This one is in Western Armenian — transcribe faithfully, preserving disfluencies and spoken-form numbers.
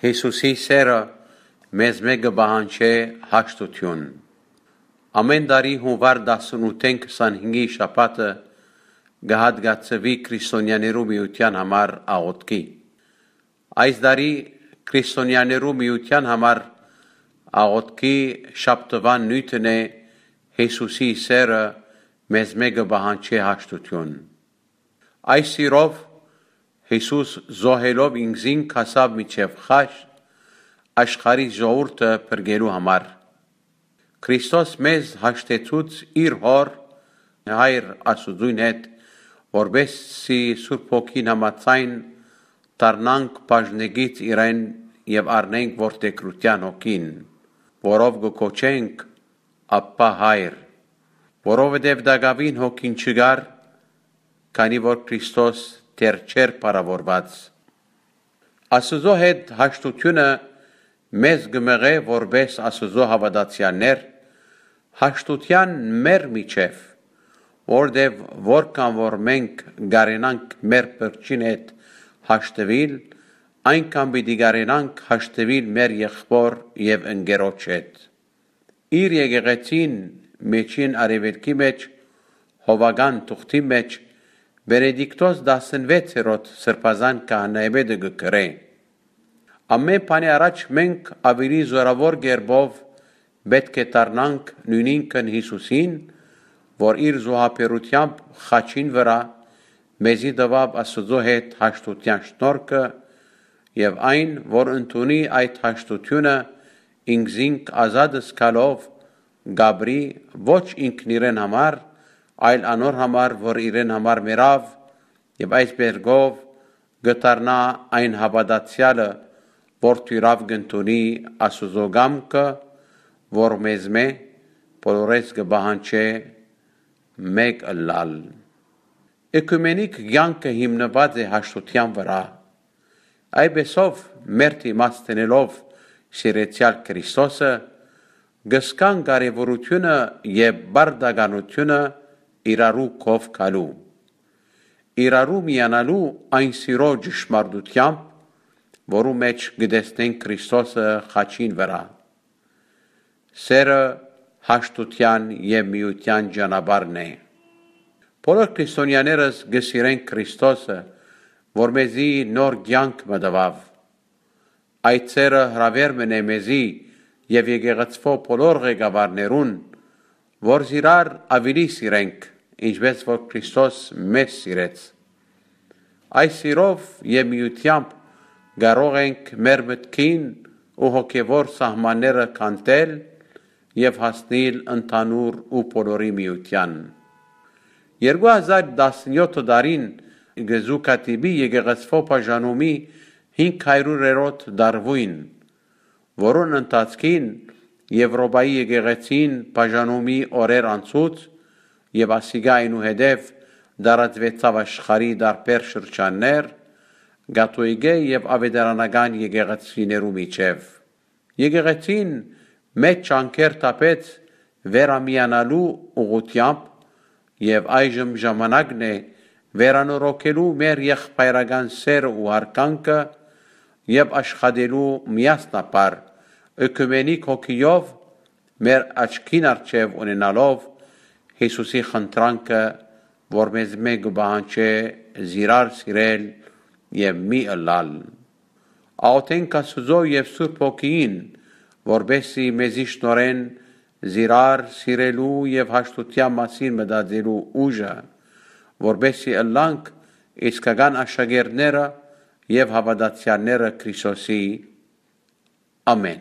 Յիսուսի սէրը մեզմէ կը պահանջէ հաշտութիւն։ Ամէն տարի Յունուար տասնութ քսանհինգի շաբաթը կը հատկացուի քրիստոնեաներու միութեան համար աղօթքի։ Այս տարի քրիստոնեաներու միութեան համար աղօթքի շաբթուան նիւթն է Յիսուսի սէրը մեզմէ կը պահանջէ հաշտութիւն։ Այս սիրով Յիսուս զոհելով ինքզինք հասաւ միջեւ խաչ, աշխարհի ժողովուրդը փրկելու համար։ Քրիստոս մեզ հաշտեցուց իր Հօր, Հայր Աստուծոյն հետ, որպեսզի Սուրբ Հոգին համաձայն դառնանք բաժնեկից իրեն եւ առնենք որդեգրութեան հոգին, որով կը կոչենք Աբբա Հայր, որովհետեւ տակաւին հոգին չկար, քանի որ Քրիստոս դեռ չէր փառաւորուած։ Աստուծոյ հետ հաշտութիւնը մեզ կը մղէ որպէս Աստուծոյ հաւատացեալներ հաշտութեան մեր միջեւ, որտեւ որքան որ մենք կարենանք մեր փրկչին հետ հաշտուիլ, այնքան պիտի կարենանք հաշտուիլ մեր եղբօր եւ ընկերոջ հետ։ Իր եկեղեցին Միջին Արեւելքի մէջ, հովական թուղթի մէջ, Բենեդիկտոս տասնվեցերորդ սրբազան քահանայապետը կը գրէ. «Ամէն բանի առաջ մենք աւելի զօրաւոր կերպով պէտք է դառնանք նոյնինքն Յիսուսին, որ իր զոհաբերութեամբ խաչին վրայ մեզի տուաւ Աստուծոյ հետ հաշտութեան շնորհքը եւ այն, որ ընդունի այդ հաշտութիւնը, ինքզինք ազատ զգալով կ'ապրի ոչ ինքն իրեն համար, այլ անոր համար, որ իրեն համար մեռաւ, եւ այս բերգով կը դառնայ այն հաւատացեալը, որ թոյրաւ կ'ընդունի Աստուծոյ կամքը, որ մեզմէ բոլորէս կը պահանջէ մէկ ըլլալ»։ Էկումենիկ կեանքը հիմնուած է հաշտութեան վրայ։ Այդպէսով, մեր դիմաց դնելով սիրեցեալ Քրիստոսը, կը զգանք կարեւորութիւնը եւ պարտականութիւնը իրարու քով գալու, իրարու միանալու այն սիրո ճշմարտութեամբ, որու մէջ կը տեսնենք Քրիստոսը խաչին վրայ։ Սէրը հաշտութեան եւ միութեան ճանապարհն է։ Բոլոր քրիստոնեաներս կը սիրեն Քրիստոսը, որ մեզի նոր կեանք մը տուաւ։ Այդ սէրը հրաւէր մըն է մեզի եւ եկեղեցւոյ բոլոր ղեկավարներուն, որ զիրար աւելի սիրենք, ինչպէս որ Քրիստոս մեզ սիրեց։ Այս սիրով եւ միութեամբ կարող ենք մեր մտքին ու հոգեվոր սահմանները քանդել եւ հասնիլ ընդհանուր ու բոլորի միութեան։ Երկու հազար տասնեօթ տարին կը զուգադիպի եկեղեցւոյ բաժանումի հինգ հարիւրերորդ տարուին, որուն ընթացքին Եւրոպայի եկեղեցին բաժանումի օրեր անցուց եւ ասիկա այնուհետեւ տարածուեցաւ աշխարհի տարբեր շրջաններ, կաթողիկէ եւ աւետարանական եկեղեցիներու միջեւ։ Եկեղեցին մեծ ջանքեր թափեց վերամիանալու ուղղութեամբ եւ այժմ ժամանակն է վերանորոգելու մեր եղբայրական սէրը ու յարգանքը եւ աշխատելու միասնաբար էկումենիկ հոգիով մեր աչքին առջեւ ունենալով Յիսուսի խնդրանքը, որ մեզմէ կը պահանջէ զիրար սիրել եւ մի ըլլալ։ Աղօթենք Աստուծոյ եւ Սուրբ Հոգիին, որպեսզի մեզի շնորհեն զիրար սիրելու եւ հաշտութեան մասին մտածելու ուժը, որպեսզի ըլլանք իսկական աշակերտները եւ հաւատացեալները Քրիստոսի։ Ամէն։